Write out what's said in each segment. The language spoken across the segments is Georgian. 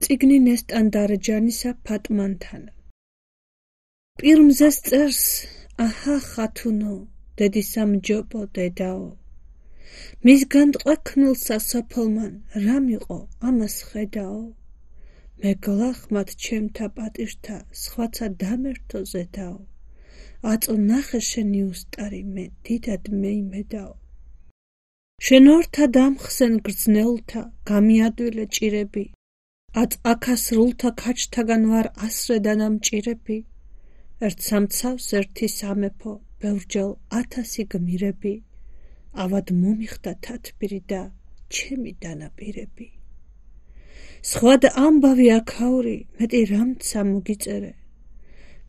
წიგნი ნესტან დარეჯანისა ფატმანთანა. პირმზეს წერს, აჰა ხათუნო, დედისამჯობო დედაო. მისგან ტყვექნილსა სოფლმან რამ იყო ამას ხედაო. მეგლახმად ჩემთა პატირთა სხვაცა დამერთო ზედაო. აწო ნახე შენი უსტარი მე დიდად მეიმედაო. შენ ორთა დამხსენ გრძნეულთა გამიადვილე ჭირები. აწ აქასრულთა ქაჩთაგან ვარ ასრე დანამჭირები. ერთ სამცავს ერთი სამეფო ბევრჯერ 1000 გმირები. ავად მომიხდა თათბირი და ჩემი დანაპირები. სხვად ამბავი აქაური მეტი რამცა მოგიწერე.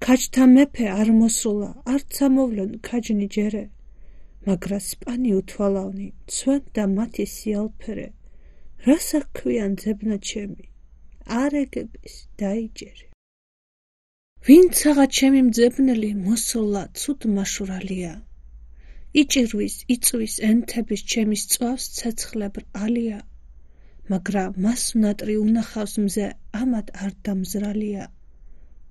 ქაჩთა მეფე არ მოსულა არც ამოვლენ ქაჯნი ჯერე. მაგრა სპანი უთვალავნი ცვენ და მათი სიალფერე. რას აქვიან ძებნა ჩემი არეგების დაიჯერე. ვინცაღა ჩემი მძებნელი მოსულა ცუდ მაშურალია. იჭირვის იწვის ენთების ჩემი სწვავს ცეცხლებრ ალია. მაგრა მას უნატრი უნახავს მზე ამად არ დამზრალია.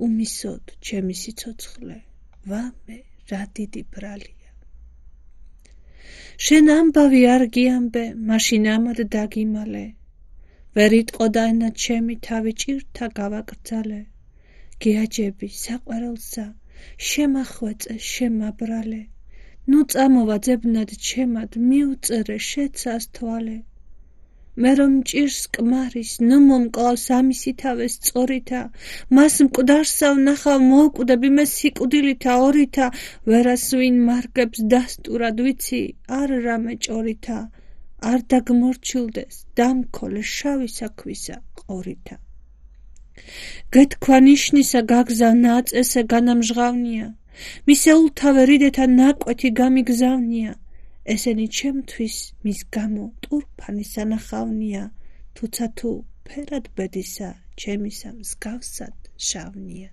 უმისოდ ჩემი სიცოცხლე ვამე რა დიდი ბრალია. შენ ამბავი არ გიამბე მაშინ ამად დაგიმალე. ვერ იტყოდა ენა ჩემი თავი ჭირთა გავაკრძალე. გეაჯები საყვარელსა შემახვეწე შემაბრალე. ნუ წამოვა ძებნად ჩემად მიუწერე შეცას თვალე. მე რომ ჭირს კმარის ნუ მომკლავს ამისი თავეს სწორითა. მას მკვდარსა ვნახავ მოვკვდები მე სიკვდილითა ორითა. ვერას ვინ მარგებს დასტურად ვიცი არ რამე ჭორითა. არ დაგმორჩილდეს დამქოლე შავისა ქვისა ყორითა. გეთქვა ნიშნისა გაგზავ ნაწესე განამჟღავნია. მისეულთავე რიდეთა ნაკვეთი გამიგზავნია. ესენი ჩემთვის მის გამო ტურფანი სანახავნია. თუცა თუ ფერად ბედისა ჩემისა მსგავსად შავნია.